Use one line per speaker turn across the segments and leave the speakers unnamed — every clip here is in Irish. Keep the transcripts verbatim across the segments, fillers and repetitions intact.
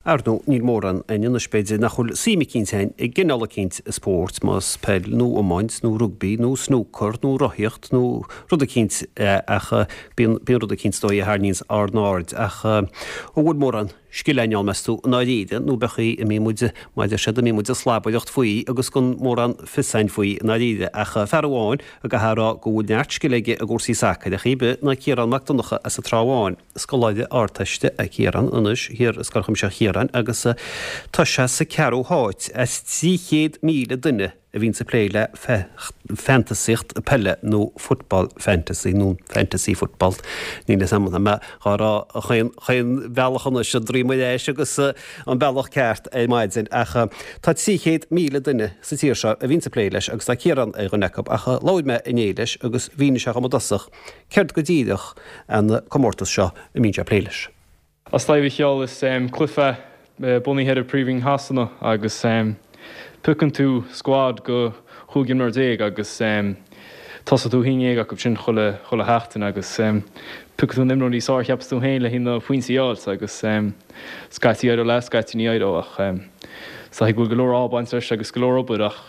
Ar ndóigh níl mórán againn anois b'fhéidir nach bhfuil suim eicínt againn i gcineál eicínt spóirt, más peil nó iomáint nó rugbaí nó snúcar nó rothaíocht nó rud eicínt ach bíonn bíonn rud eicínt is dóigh a tharraingíonns ár n-aird ach an bhfuil mórán scil againn ann meas tú i ndáiríre nó b'é an chaoi a mbíonn muid mar a deir siad a mbíonn muid ag slabaireacht faoi agus gan mórán fios againn faoi i ndáiríre ach fear amháin a gcaithfear a rá go bhfuil neart scil aige i gcúrsaí sacair ar chaoi ar bith ná Ciarán Mac Donncha as an Trá Bháin, scoláire Ardteiste é Ciarán anois thiar i Scoil Chuimsitheach Chiaráin agus tá sé sa ceathrú háit as trí chéad míle duine a bhíonns ag plé le fantasaíocht peile nó football fantasy nó fantasy football. Níl fhios a'm mé dhá rá chaon chaon bhealach anois an droim ar ais agus an bealach ceart ar maidin ach tá trí chéad míle duine sa tír seo a bhíonns ag plé leis agus tá Ciarán ar dhuine acu ach labhair mé inné leis agus mhínigh sé dhom i dtosach céard go díreach an comórtas seo a mbíonn sé ag plé leis.
As taobh cheol is cluiche bunaithe ar Príomhroinn Shasana agus piocann tú squad go chúig imreoir déag agus tosaíonn tú haon déag acu sin chuile chuile sheachtain agus piocann tú an imreoir is fearr a cheapas tú féin le haghaidh na pointí a fháilt agus scaití éireoidh leat, scaití ní éireoidh ach is dóigh go bhfuil go leor ádh ag baint leis agus go leor obair ach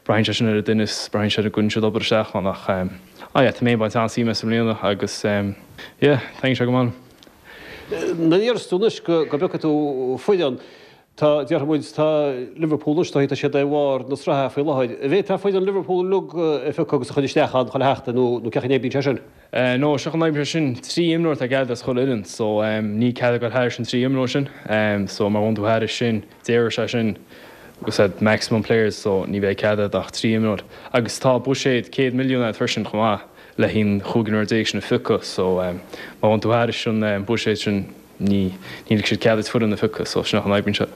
braitheann sé sin ar an duine is braitheann sé ar an gcuireann siad obair isteach ann ach ah yeah, tá mé ag baint an-suim as i mbliana agus yeah, taitníonn sé go maith liom.
Nuair a deireas tú anois go go bpiocfaidh tú foireann, tá, déarfaidh muid, tá Liverpool anois, tá siad ar bharr na sraithe faoi láthair. An bhféadfá foireann Liverpool uilig a phiocadh agus a chur isteach ann chuile sheachtain nó nó cén chaoi a n-oibríonn sé sin?
No, seo an oibre sin, trí imreoir atá cead as chuile fhoireann, so ní cead a ghoil thairis an trí imreoir sin, so má bhain tú thairis sin, déarfaidh sé sin agus said maximum players, so ní bheidh cead agat ach trí imreoir. Agus tá buiséad céad milliún agat freisin chomh maith le haghaidh an chúig imreoir déag sin a phiocadh, so má bhain tú thairis an buiséad sin ní ní ligfidh siad cead duit foireann a phiocadh, so sin an oibríonn sé.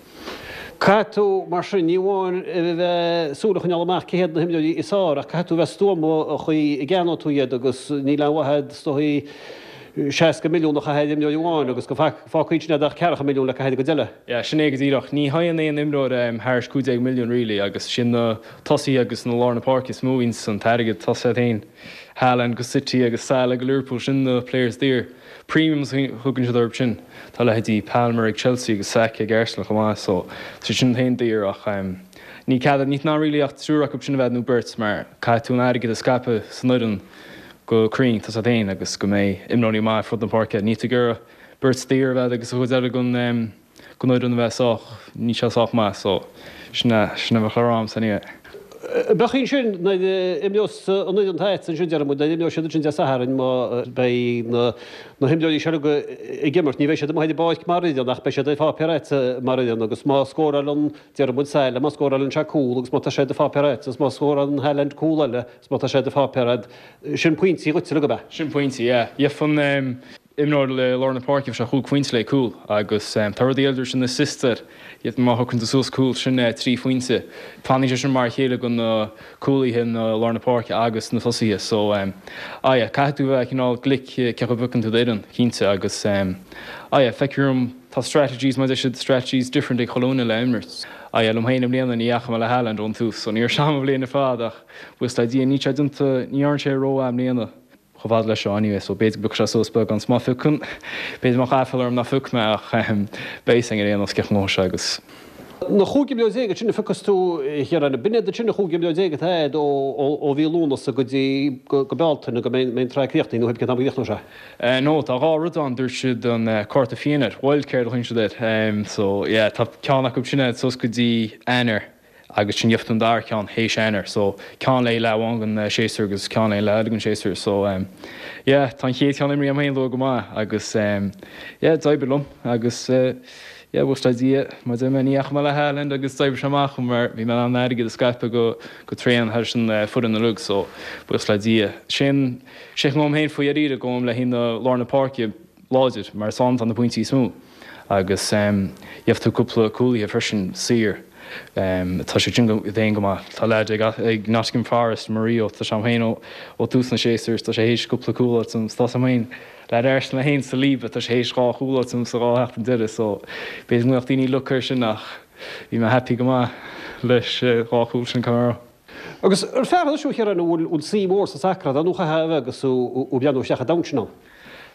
Caithfidh tú, mar sin, ní amháin a bheith súil a choinneáil amach cé hiad na himreoirí is fearr ach caithfidh tú a bheith stuama an chaoi a gceannóidh tú iad agus níl aon mhaith agat is dóigh seasca milliún a chaitheamh ar imreoir amháin agus go bhfágfaidh sin ach ceathracha milliún le caitheamh ar an gcuid eile.
Yeah, sin é go díreach. Ní théann aon imreoir thairis cúig déag milliún really agus sin na tosaithe agus na lár na páirce is mó a bhíonns an t-airgead tosaithe féin. Haaland go City agus Salah go Liverpool sin na players daor. Premiums a thugann siad orthu sin. Tá leithéidí Palmer ag Chelsea agus Saka ag Arsenal chomh maith so tá sin féin daor ach ní cead ní ná really ach triúr acu sin a bheith nó beirt mar caithfidh tú an airgead a scaipeadh san fhoireann go cruinn tá siad féin agus go mbeidh imreoirí maith ar fud na páirce. Ní tú gur beirt daor a bheith agus a chuid eile gon gon fhoireann a bheith sách ní sé sách maith so sin sin a bheith le rá san é.
Bheadh sin nuair a imreos an fhoireann atá ansin déarfaidh muid nuair a imreoidh siad ansin Dé Sathairn má beidh na na himreoirí seo ag imirt ní bheidh siad amuigh ar an bpáirc mar fhoireann ach beidh siad ar pháipéar agat mar fhoireann agus má scórálann déarfaidh muid Salah má scórálann sé cúl agus má tá sé ar do pháipéar agat agus má scórálann Haaland cúl eile agus má tá sé ar do pháipéar agat sin pointí dhuit go be.
Sin pointí, yeah. Gheofar imreoir le lár na páirce sé chúig phointe le cúl agus tá rudaí eile sin assist iad má thugann tú suas cúl sin trí phointe. Fanann sé sin mar a chéile go na cúlaithe na lár na páirce agus na tosaithe so um, ah yeah, caithfidh tú bheith cineál glic cé chomh bhfeiceann tú d'fhoireann cinnte agus um, ah yeah, feicim tá strategies mar siad strategies different ag cholúna le imirt. Ah yeah, liom féin i mbliana ní dheachaigh mé le Haaland ón tús, so níor seam bhliain fad ach buíochas le Dia ní sé déanta ní dhearna sé ró i mbliana. chomh fada leis seo anyway, so b'fhéidir go sé suas beag an má phiocann b'fhéidir má chaithfear orm ná phioc mé ach beidh ar aon nós cén sé agus.
Na chúig imreoir déag sin a phiocas tú Chiaráin, b'in sin na chúig imreoir déag atá ó ó mhí Lúnasa go dtí go Bealtaine go mbeidh an tsraith críochnaithe nó cén t-am a chríochnóidh sé.
Uh, no, tá dhá rud ann dúirt siad an uh, cárta fiáin, wildcard a thugann siad air. Um, so yeah, tá ceann acu sin suas go dtí Eanáir agus sin gheobhaidh tú an dara ceann théis Eanáir, so ceann le le amháin an séasúr agus ceann le le an séasúr, so um, yeah, tá an chéad cheann imrithe agam féin go maith agus um, yeah, d'oibrigh liom agus uh, yeah, buíochas le Dia mar de ní dheachaigh mé le Haaland agus d'oibrigh sé amach mar bhí mé an airgead a scaipeadh go go tréan thar sin uh, foireann na lug so buíochas le Dia. Sin sé ngom féin faoi aríre gom le haghaidh na lár na páirce láidir mar san na pointí is mó agus um, gheobhaidh tú cúpla cúlaithe freisin saor. Um, tá sé sin déan go maith Tá le ag ag Nottingham Forest Mario tá sem féin ó tús na séasúr tá sé théis cúpla cúl tá sem féin le éis le haon sa líba tá sé théis dhá chúl sa dhá sheachtain deireadh so b'fhéidir go mbeadh daoine lucir sin ach bhí mé happy go maith leis dhá chúl sin camera.
Agus ar fear seo chear an bhfuil bhfuil suim mhór sa sacar nó chaithfidh agus ó breathnú isteach a dom sin.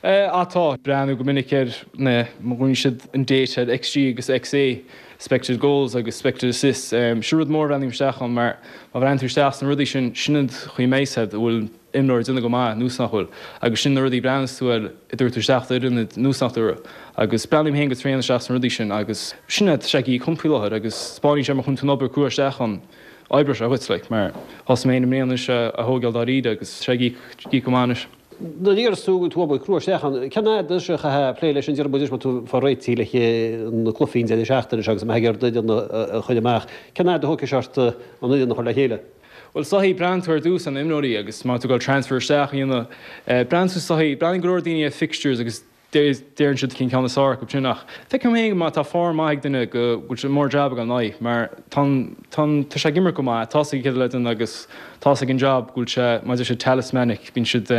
Ah tá breathnú go minic ar na bhfuil siad an data XG agus XA expected goals agus expected assists. Um, sin rud mór breathnaím isteach ann mar má bhreathnaíonn tú isteach sna rudaí sin sin an chaoi measad bhfuil imreoir déanamh go maith nó nach bhfuil agus sin na rudaí breathnaíonn tú ar i dúirt tú isteach d'fhoireann nó nach dúirt agus breathnaím féin go tréan isteach sna rudaí sin agus sin sé í cumpaí láthair agus spáíonn sé mar chun tú obair crua isteach ann oibre sé chuit like, mar thosaigh mé i mbliana a thógáil dáiríre agus sé gí go maith.
Nuair a deireas tú tú obair crua isteach ann, cén fhad is a chaithfeá plé leis an deireadh muid má tú fá réitigh le na cluichí an deireadh seachtaine seo agus má ag d'fhoireann a chur amach, cén fhad a thógfaidh sé ort an fhoireann a chur le chéile?
Well soithí breathnaíonn tú ar dtús an imreoirí agus má tú gal transfer isteach a dhéanamh breathnaíonn tú soithí breathnaíonn go leor daoine ar fixtures agus deireann siad cén ceann is fearr acu sin ach feicim féin má tá form maith ag duine go bhfuil sé mór jab ag an aghaidh mar tá tá sé ag imirt go maith tá ag le duine agus tá ag an job go bhfuil sé maidir sé talismanic bíonn siad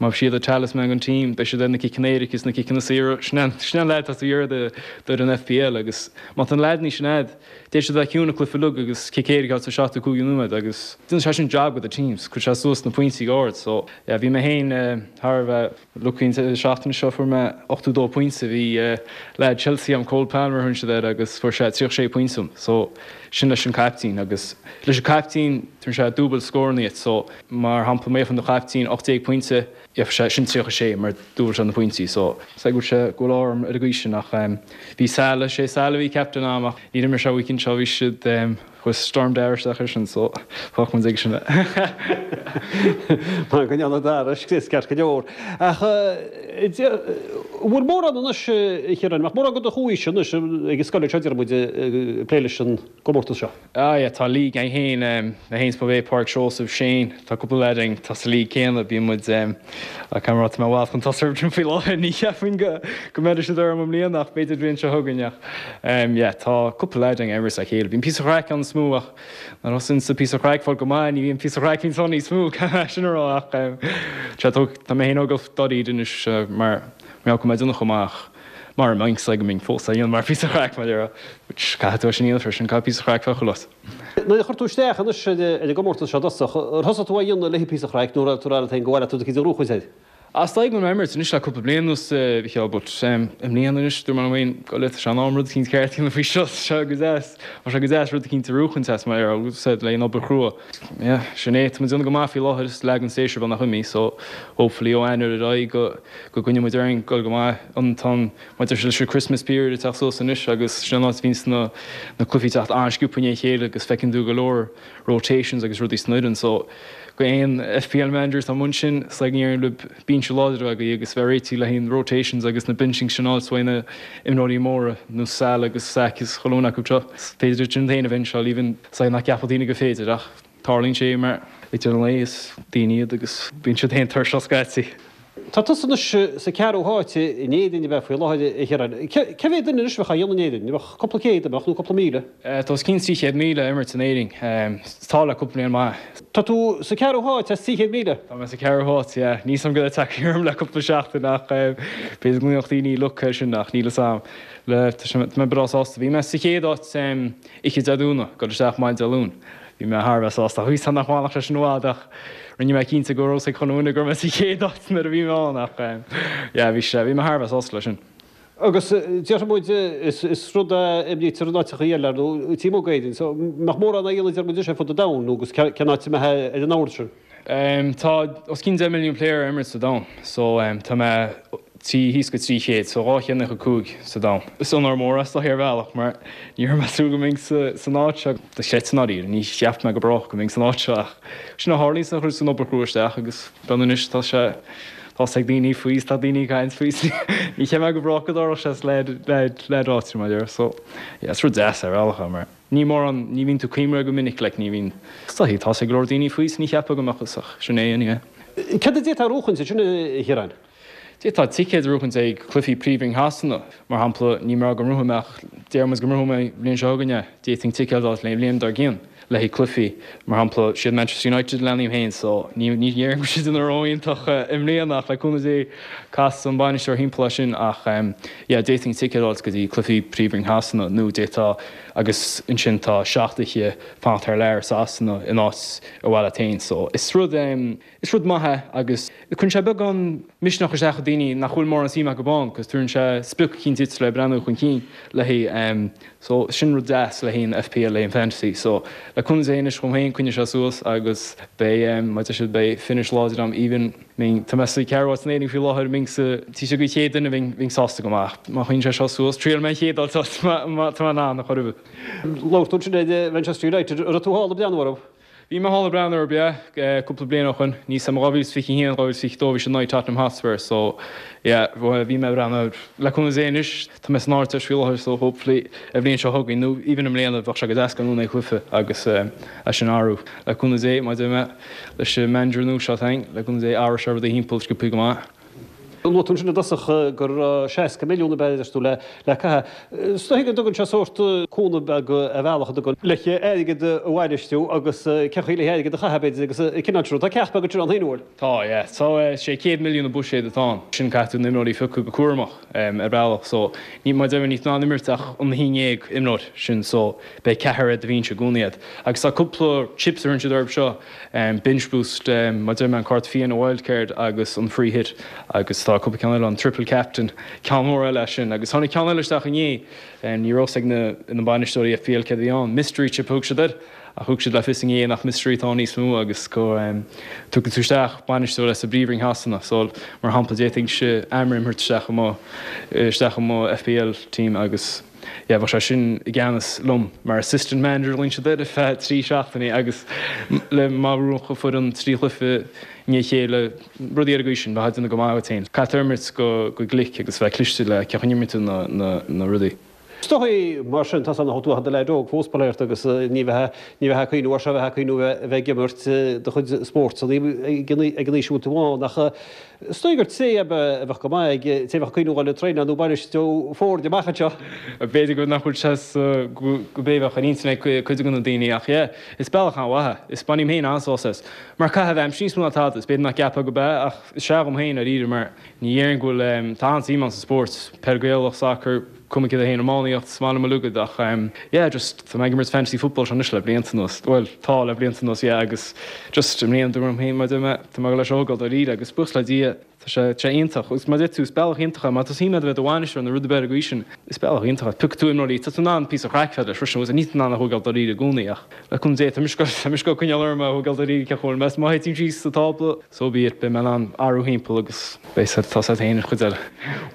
má siad a talisman an team beidh siad na ciceanna éirice is na ciceanna saora sin leaid tá tú iarraidh do an FPL agus má tá an leaid ní sin agat Dé siad bheith ciúin cluiche lug agus cic éirice sa seachtó cúig nóiméad agus déanann sé sin job with the teams, chuir sé suas na pointí ard so yeah, bhí mé féin thar bheith lucky seachtain seo fuair mé ochtó dó pointe bhí leaid Chelsea am Cole Palmer thun siad air agus fuair sé tríocha sé pointe so sin leis an captain agus leis an captain tugann sé dúbailt scóranna so mar shampla mé fan do captain ocht déag pointe sé sin tríocha sé mar dúbailt sé na pointí so sé go sé go arm ar a gcuí sin ach bhí Salah sé Salah bhí captain am ach ní imir sé weekend seo bhí siad chuir Storm Dara isteach air sin so fágfaidh muid ag sin é.
Mar go ndéana Dara is ceart go leor. Ach bhfuil mórán anois a Chiaráin, ach mórán go do chuaigh anois ag an scoil seo deir muid plé leis an gcomórtas seo.
Ah yeah, tá league againn féin na haon bhé Páirc Seosamh Shane tá cúpla leaid againn tá sa league céanna bíonn muid camrá mé bhil chun tosú faoi láthair ní cheapfainn go go mbeidh siad orm i mbliana ach b'fhéidir bliain seo chugainn ach yeah, tá cúpla leaid againn ag imirt le chéile. Bíonn píosa craic ann is mó ach nuair thosaíonn sa píosa craic fáil go maith ní bhíonn píosa craic níos níos mó sin a rá ach tá mé féin óg dáiríre anois mar mé go mbeidh chomh maith mar an sa go mbeinn fós á mar píosa craic mar which caithfidh tú sin a dhéanamh freisin caithfidh píosa craic bheith chuile.
Nuair a chuir tú isteach anois ar an gcomórtas seo dosach, ar thosaigh tú á dhéanamh le píosa craic nó raibh tú rá féin go bhfuil tú do rúchaid air?
As go mé imirt anois le cúpla bliain anuas bhí but i mbliana anois dúirt mé féin go le sé an am rud eicínt ceart a dhéanamh faoi seo seo go deas Tá sé go deas rud eicínt a bhuachaint as mar ar said le an obair chrua. Yeah, sin é tá déanamh go maith faoi láthair is leag an séasúr beagnach imithe so hopefully ó Eanáir ar aghaidh go go gcoinneoidh muid orainn go go maith an tan maidir leis an Christmas period atá suas anois agus sin an áit a bhíonns na na cluichí teacht an-sciobtha i ndiaidh a chéile agus feiceann tú go leor rotations agus rudaí san fhoireann so go aon FPL managers tá mun sin sa ní le binse láidir agaí agus bheith réití le haon rotations agus na benching sin áit na imreoirí móra nó Salah agus Saka is chuile dhuine acu seo. Féidir sin féin a bhenseáil even sa nach gceapfadh daoine go féidir ach tarlaíonn sé mar ag an lae is daoine iad agus bíonn siad féin tuirseach scaití.
Tá tusa anois sa ceathrú háit in Éirinn a bheith faoi láthair a Chiaráin. Cé mhéad duine anois a bheadh á dhéanamh in Éirinn? Bheadh cúpla céad a bheadh nó cúpla míle?
Tá os cionn trí chéad míle imirt in Éirinn. Tá le cúpla bliain maith.
Tá tú sa ceathrú háit as trí chéad míle?
Tá mé sa ceathrú háit, yeah. Níl a fhios agam go dtagfaidh orm le cúpla seachtain ach b'fhéidir go mbeadh daoine luck air sin ach níl a fhios agam. Le tá mé breá sásta. Bhí mé sa chéad áit oíche Dé Domhnaigh, dul isteach maidin Dé Luain. Bhí mé thar a bheith sásta. Bhí san nach bhfanfadh sé sin i bhfad ach rinne mé cinnte go raibh ag chuile dhuine go raibh mé sa chéad áit nuair a bhí mé ann ach yeah, bhí sé bhí mé thar a bheith sásta leis sin.
Agus déarfaidh muid is is rud a imrítear in áiteacha eile nó taobh amuigh d'Éirinn, so mbeadh mórán á dhéanamh deir muid ar fud an domhain nó agus cén áit a mbeadh ar an ord sin?
Um, tá os cionn deich milliún player ag imirt sa domhan, so um, tá mé trí thíos go trí chéad, so dhá chéad nócha cúig sa domhan. Is onóir mór as do ar bhealach mar ní raibh mé ag súil go mbeinn san áit seo do chreid san áiríre, ní cheap mé go brách go mbeinn san áit seo ach sin a tharlaíonn san chuir san obair chrua isteach agus ben anois tá sé tá ag daoine faoi tá daoine ag caint faoi ní cheap mé go brách go dtarlódh sé le le le áit mar deir so yeah, is rud deas ar bhealach mar ní mórán ní bhíonn tú cuimhneamh go minic le ní bhíonn tá tá ag go leor daoine faoi ní cheapfá go mbeadh ach sin é anyway.
Cad a d'fhéadfá a bhuachaint sin a Chiaráin?
D'fhéadfá ticéad a bhuachaint ag cluichí Príomhroinn Shasana, mar shampla ní mar go mbrúfaidh mé ach deir muid go mbrúfaidh mé bliain seo chugainn é, d'fhéadfainn ticéad a fháil le bliain dár gcionn le haghaidh cluichí mar shampla siad Manchester United leanaim féin so ní ní dhéarfainn go siad ina ró-iontach i mbliana ach le cúnamh Dé cas an bainisteoir thimpeall sin ach um, yeah, d'fhéadfainn ticéad a fháil go dtí cluichí Príomhroinn Shasana nó d'fhéadfá agus ansin tá seacht oíche fanacht thar lear Sasana in áit a bhaile féin so is rud um, is rud maith é agus cuireann sé beagán misneach isteach i daoine nach bhfuil mórán suim acu ann, cos tugann sé sprioc eicínt duit le breathnú chun cinn léi um, so sin rud deas le haghaidh an FPL le haghaidh an fantasy so le cúnamh Dé anois chomh féin coinneoidh sé suas agus beidh um, má siad beidh finish láidir am even Ming tá mé sa ceathrú háit san faoi láthair ming sa tí sé go chéad duine bhí bhí sásta go maith má chuin sé seo suas triail mé chéad tá ná na choribh.
Labhair tú ansin de Manchester United raibh tú thall ag breathnú orthu.
Bhí mé thall ag breathnú orthu yeah cúpla bliain ó shin ní sam dhá mhíle fiche haon dhá mhíle fiche dó bhí siad in aghaidh Tottenham Hotspur so yeah bhí mé ag breathnú le cúnamh Dé anois tá mé san Ardteist faoi láthair so hopefully an bhliain seo chugainn nó even i mbliana bheadh sé go deas gan é cluiche agus é sin athrú le cúnamh Dé má mé leis an manager nua seo féin le cúnamh Dé athróidh sé rudaí thimpeall sciobtha go maith.
Luaigh tú ansin i dtosach gur seasca milliún a bheith tú le le caitheamh. Is dóigh go dtugann sé sórt cúnamh beag a bhealach a dtugann le airgead a bhainistiú agus cén chaoi le airgead a chaitheamh b'fhéidir agus cineál sin. Tá ceacht beag ansin ann féin bhfuil.
Tá yeah. So sé céad milliún an buiséad atá ann. Sin caithfidh tú na imreoirí a phiocadh go cúramach ar bhealach so ní mar deimhin ní ná imirt ach an haon déag imreoir sin so beidh ceathrar ar do bhinse i gcónaí agat. Agus tá cúpla chips ar an siad orthu seo um, bench boost um, mar deir mé an cárta fiáin wildcard agus an free hit agus tá cúpla ceann eile an triple captain ceann mór eile sin agus tháinig ceann eile isteach inné um, ní raibh ag na na bainisteoirí FPL céard a bhí ann mystery chip thug siad air a thug siad le fios inné nach mystery tá níos mó agus go um, tugann tú isteach bainisteoir as an bPríomhroinn Shasana so mar shampla d'fhéadfainn sé Amorim isteach mo isteach mo FPL team agus yeah, bheadh sé sin i gceannas liom mar assistant manager linn se ar feadh trí seachtainí agus le má rucha fu an trí chluiche ní chéile rudaí ar sin bheit go maith féin. Caithfidh imirt go go glic agus bheith cliste le ce chuimiú na, na, na rudaí.
Is dóigh mar sin tá an tú de leid fós léirt agus ní bheith ní bheith cuioú se bheith cuioú bheith gimirt de chud spórt ag an aois tú nach is dóigh gur té a bheith go maith ag té bheith cuioú le traenáil nó bainistiú foirne amach anseo.
B'fhéidir go nach bhfuil sé go béh an internet cuid na daoine ach yeah, is bealach an-mhaith is bainim féin an-sásamh as. Mar caitheamh aimsire níos mó ná tada, is b'fhéidir nach gceapfá go b'ea ach is ea dom féin ar mar ní dhéarfainn go bhfuil tá an-suim sa spórt peil Ghaelach soccer cuma cad é féin iománaíocht is maith liom uilig ach um, yeah, just tá mé ag imirt fantasy football seo anois le blianta anuas. Well tá le blianta anuas yeah, agus just i mbliana dúirt féin mar mé tá mé leis ógáil dáiríre agus buíochas le Dia Tá sé sé iontach agus mar tú bealach iontach má tá suim agat bheith i do bhainisteoir nó rud ar bith go sin is bealach iontach Piocfaidh tú imreoirí tá tú in ann píosa craic leis freisin agus ní ná a thógáil dáiríre i gcónaí ach le cúnamh Dé tá mis go coinneáil orm a thógáil dáiríre ce chóir mes má théim síos sa tábla so be it beidh mé in ann athrú thimpeall agus beidh tá sé féin an chuid eile.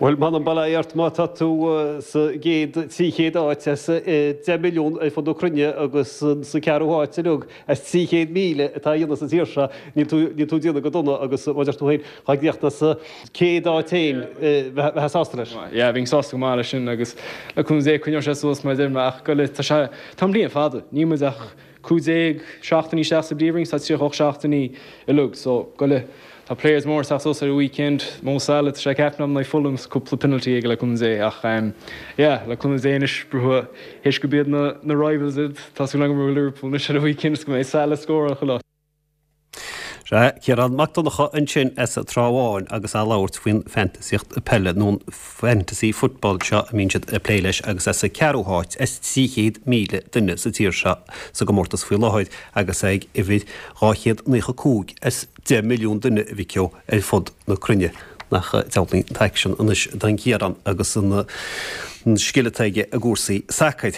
Bhuel m'anam bail ó Dhia ort má tá tú sa gcéad trí chéad áit as deich milliún ar fud na cruinne agus sa ceathrú háit uilig as trí chéad míle atá dhéanamh sa tír seo níl tú níl tú déanamh go dona agus má deir tú féin cha gcríochna sa céad áit féin bheith sásta leis.
Yeah, bhí sásta go maith leis sin agus le cúnamh Dé coinneoidh sé suas mar deir mé ach go le tá sé tá an bliain fada ní muid ach cúig déag seachtainí isteach sa bPríomhroinn tá tríocha ocht seachtainí uilig so go le Tá players mór sa ar an weekend Mo Salah sé captain na Fulham cúpla penalty ag le cúnamh Dé ach um, yeah, le cúnamh Dé anois brú héis go bíad na, na rivals iad tá sú go Liverpool na ar an weekend go mbeidh Salah scór chu lá.
Sé Ciarán Mac Donncha ansin as an Trá Bháin agus á labhairt faoin fantasíocht peile nó fantasy football seo a mbíonn siad ag plé leis agus as sa ceathrú háit as trí chéad míle duine sa tír seo sa gcomórtas faoi láthair agus ag uimhir dhá chéad naocha cúig as deich milliún duine a bhí ar fud na cruinne nach dealraíonn an t-aicsean anois don Chiarán agus an scil atá aige i gcúrsaí sacair.